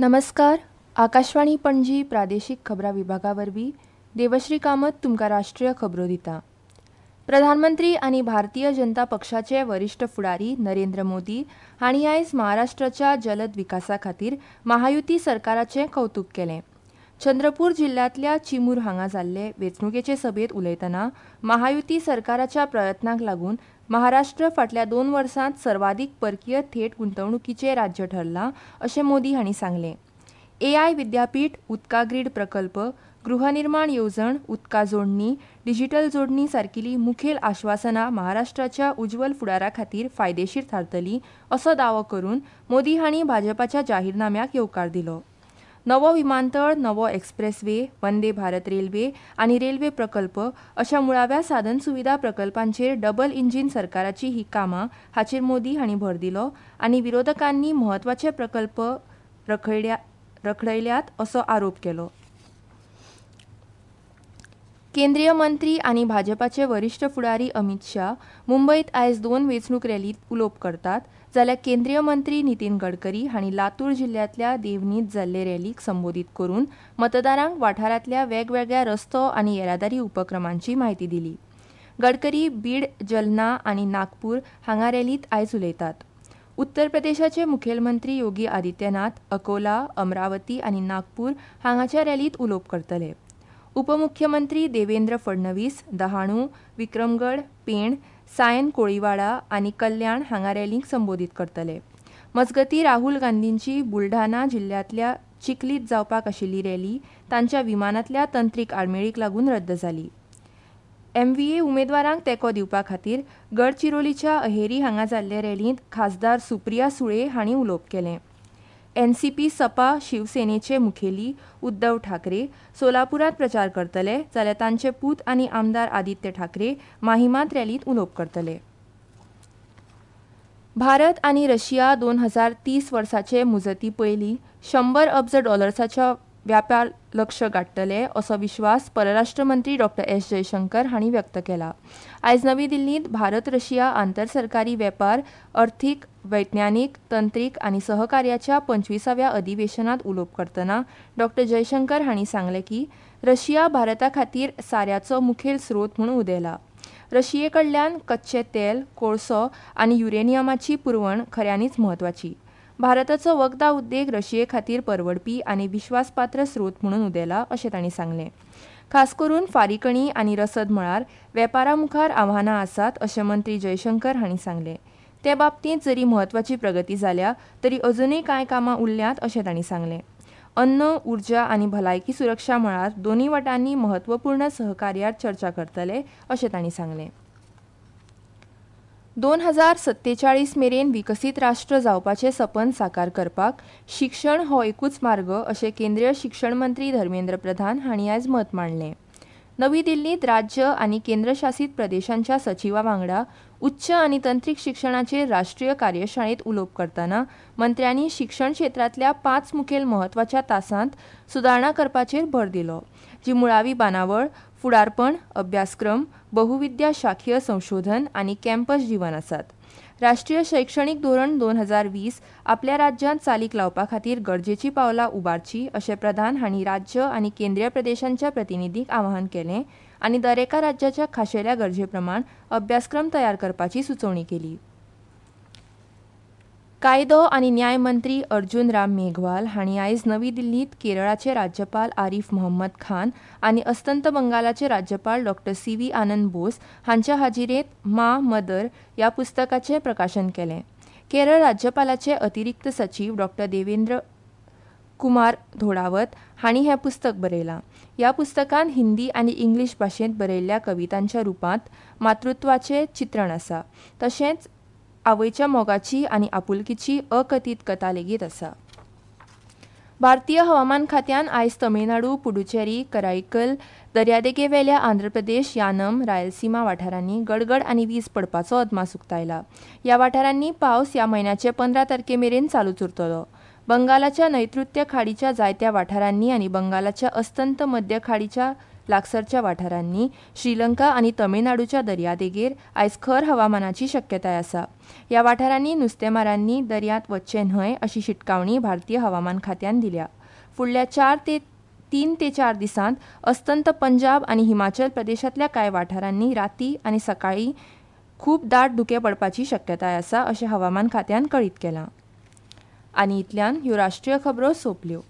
नमस्कार, आकाशवाणी पणजी प्रादेशीक खबरां विभागा वरवीं देवश्री कामत तुमकां राष्ट्रीय खबरो दिता. प्रधानमंत्री आनी भारतीय जनता पक्षाचे वरिश्ठ फुडारी नरेंद्र मोदी हांणी आयज महाराष्ट्राच्या जलद विकासा खातीर महायुती सरकाराचें कवतूक केलें. चंद्रपूर जिल्ल्यांतल्या चिमूर हांगा जाल्ले वेंचणुकेचे सभेंत उलयतना महायुती सरकाराच्या प्रयत्नांक लागून महाराष्ट्र फाटल्या 2 वर्सांत सर्वाधीक परकीय थेट गुंतवणुकीचें राज्य ठरलां अशें मोदी हांणी सांगलें. एआय विद्यापीठ, उदका ग्रीड प्रकल्प, गृहनिर्माण येवजण, उदका जोडणी, डिजिटल जोडणी सारकिली मुखेल आश्वासनां महाराष्ट्राच्या उज्वल फुडारा खातीर फायदेशीर थारतली असो दावो करून मोदी हांणी भाजपाच्या जाहीरनाम्याक येवकार दिलो. नवो विमानतळ, नवो एक्सप्रेसवे, वंदे भारत रेल्वे आनी रेल्वे प्रकल्प अशा मुळाव्या साधनसुविधा प्रकल्पांचेर डबल इंजीन सरकाराची ही कामां हाचेर मोदी हांणी भर दिलो आनी विरोधकांनी म्हत्वाचे प्रकल्प रखडयल्यात असो आरोप केलो. केंद्रीय मंत्री आनी भाजपाचे वरिश्ठ फुडारी अमित शाह मुंबयत आयज 2 वेंचणूक रॅलींत उलोवप करतात, जाल्यार केंद्रीय मंत्री नितीन गडकरी हांणी लातूर जिल्ल्यांतल्या देवनींत जाल्ले रॅलीक संबोधीत करून मतदारांक वाठारांतल्या वेगवेगळ्या रस्तो आनी येरादारी उपक्रमांची म्हायती दिली. गडकरी बीड, जलना आनी नागपूर हांगा रॅलींत आयज उलयतात. उत्तर प्रदेशाचे मुखेलमंत्री योगी आदित्यनाथ अकोला, अमरावती आनी नागपूर हांगाच्या रॅलींत उलोवप करतले. उपमुख्यमंत्री देवेंद्र फडणवीस दहाणू, विक्रमगड, पेण, सायन कोळीवाडा आनी कल्याण हांगा रॅलींक संबोधीत करतले. मजगतीं, राहुल गांधींची बुलढाणा जिल्ल्यांतल्या चिखलीत जावपाक आशिल्ली रॅली तांच्या विमानांतल्या तंत्रीक आडमेळीक लागून रद्द जाली. एमव्हीए उमेदवारांक तेंको दिवपा खातीर गडचिरोलीच्या अहेरी हांगा जाल्ले रॅलींत खासदार सुप्रिया सुळे हांणी उलोवप केलें. एनसीपी सपा शिवसेनेचे मुखेली उद्धव ठाकरे सोलापुरांत प्रचार करतले, जाल्यार तांचे पूत आनी आमदार आदित्य ठाकरे माहिमांत रॅलींत उलोवप करतले. भारत आनी रशिया 2030 वर्साचे मुजती पयलीं 100 अब्ज डॉलर्साच्या व्यापार लक्ष गाठतले असो विश्वास परराष्ट्र मंत्री डॉ. एस जयशंकर हांणी व्यक्त केला. आयज नवी दिल्लींत भारत रशिया आंतरसरकारी वेपार, अर्थीक, वैज्ञानीक, तंत्रीक आनी सहकार्याच्या 25व्या अधिवेशनांत उलोवप करतना डॉ. जयशंकर हांणी सांगलें की रशिया भारता खातीर साऱ्याचो मुखेल स्रोत म्हूण उदेला. रशिये कडल्यान कच्चें तेल, कोळसो आनी युरेनियमाची पुरवण खऱ्यांनीच म्हत्वाची. भारताचो वखदां उद्देग रशिये खातीर परवडपी आनी विश्वासपात्र स्रोत म्हणून उदेला अशें तांणी सांगलें. खास करून फारीकणी आनी रसद मळार वेपारा मुखार आव्हानां आसात अशें मंत्री जयशंकर हांणी सांगलें. ते बाबतींत जरी म्हत्वाची प्रगती जाल्या तरी अजुनूय कांय कामां उरल्यांत अशें तांणी सांगलें. अन्न, उर्जा आनी भलायकी सुरक्षा मळार दोनूय वटांनी म्हत्वपूर्ण सहकार्यार चर्चा करतले अशें तांणी सांगलें. 2047 मेरेन विकसीत राष्ट्र जावपाचें सपन साकार करपाक शिक्षण हो एकूच मार्ग अशें केंद्रीय शिक्षण मंत्री धर्मेंद्र प्रधान हांणी आयज मत मांडलें. नवी दिल्लींत राज्य आनी केंद्रशासीत प्रदेशांच्या सचिवा वांगडा उच्च आनी तंत्रीक शिक्षणाचेर राष्ट्रीय कार्यशाळेंत उलोवप करतना मंत्र्यांनी शिक्षण क्षेत्रांतल्या 5 मुखेल म्हत्वाच्या तासांत सुदारणा करपाचेर भर दिलो, जी मुळावी बांदावळ, फुडारपण, अभ्यासक्रम, बहुविद्या शाखीय संशोधन आनी कॅम्पस जीवन आसात. राष्ट्रीय शैक्षणीक धोरण 2020 आपल्या राज्यांत चालीक लावपा खातीर गरजेची पावलां उबारची अशें प्रधान हांणी राज्य आनी केंद्रीय प्रदेशांच्या प्रतिनिधींक आवाहन केलें आनी दरेका राज्याच्या खाशेल्या गरजे प्रमाण अभ्यासक्रम तयार करपाची सुचोवणी केली. कायदो आनी न्याय मंत्री अर्जुन राम मेघवाल हांणी आयज नवी दिल्लींत केरळाचे राज्यपाल आरिफ मोहम्मद खान आनी अस्तंत बंगालाचे राज्यपाल डॉ. सी. व्ही. आनंद बोस हांच्या हाजिरेंत मा मदर ह्या पुस्तकाचें प्रकाशन केलें. केरळ राज्यपालाचे अतिरिक्त सचीव डॉ. देवेंद्र कुमार धोडावत हांणी हें पुस्तक बरयलां. ह्या पुस्तकांत हिंदी आनी इंग्लीश भाशेंत बरयल्ल्या कवितांच्या रुपांत मातृत्वाचें चित्रण आसा, तशेंच आवयच्या मोगाची आनी आपुलकीची अकथीत कथा लेगीत आसा. भारतीय हवामान खात्यान आयज तमिळनाडू, पुडुचेरी, कराईकल, दर्यादेगेवेल्या आंध्र प्रदेश, यानम, रायलसीमा वाठारांनी गडगड आनी वीज पडपाचो अदमास उक्तायला. ह्या वाठारांनी पावस ह्या म्हयन्याचे 15 तारखे मेरेन चालूच उरतलो. बंगालाच्या नैऋत्य खाडीच्या जायत्या वाठारांनी आनी बंगालाच्या अस्तंत मध्य खाडीच्या लागसरच्या वाठारांनी, श्रीलंका आनी तमिळनाडूच्या दर्यादेगेर आयज खर हवामानाची शक्यताय आसा. ह्या वाठारांनी नुस्तेमारांनी दर्यांत वच्चें न्हय अशी शिटकावणी भारतीय हवामान खात्यान दिल्या. फुडल्या चार ते तीन ते चार दिसांत अस्तंत पंजाब आनी हिमाचल प्रदेशांतल्या कांय वाठारांनी रातीं आनी सकाळीं खूब दाट धुकें पडपाची शक्यताय आसा अशें हवामान खात्यान कळीत केलां. आनी इतल्यान ह्यो राष्ट्रीय खबरो सोंपल्यो.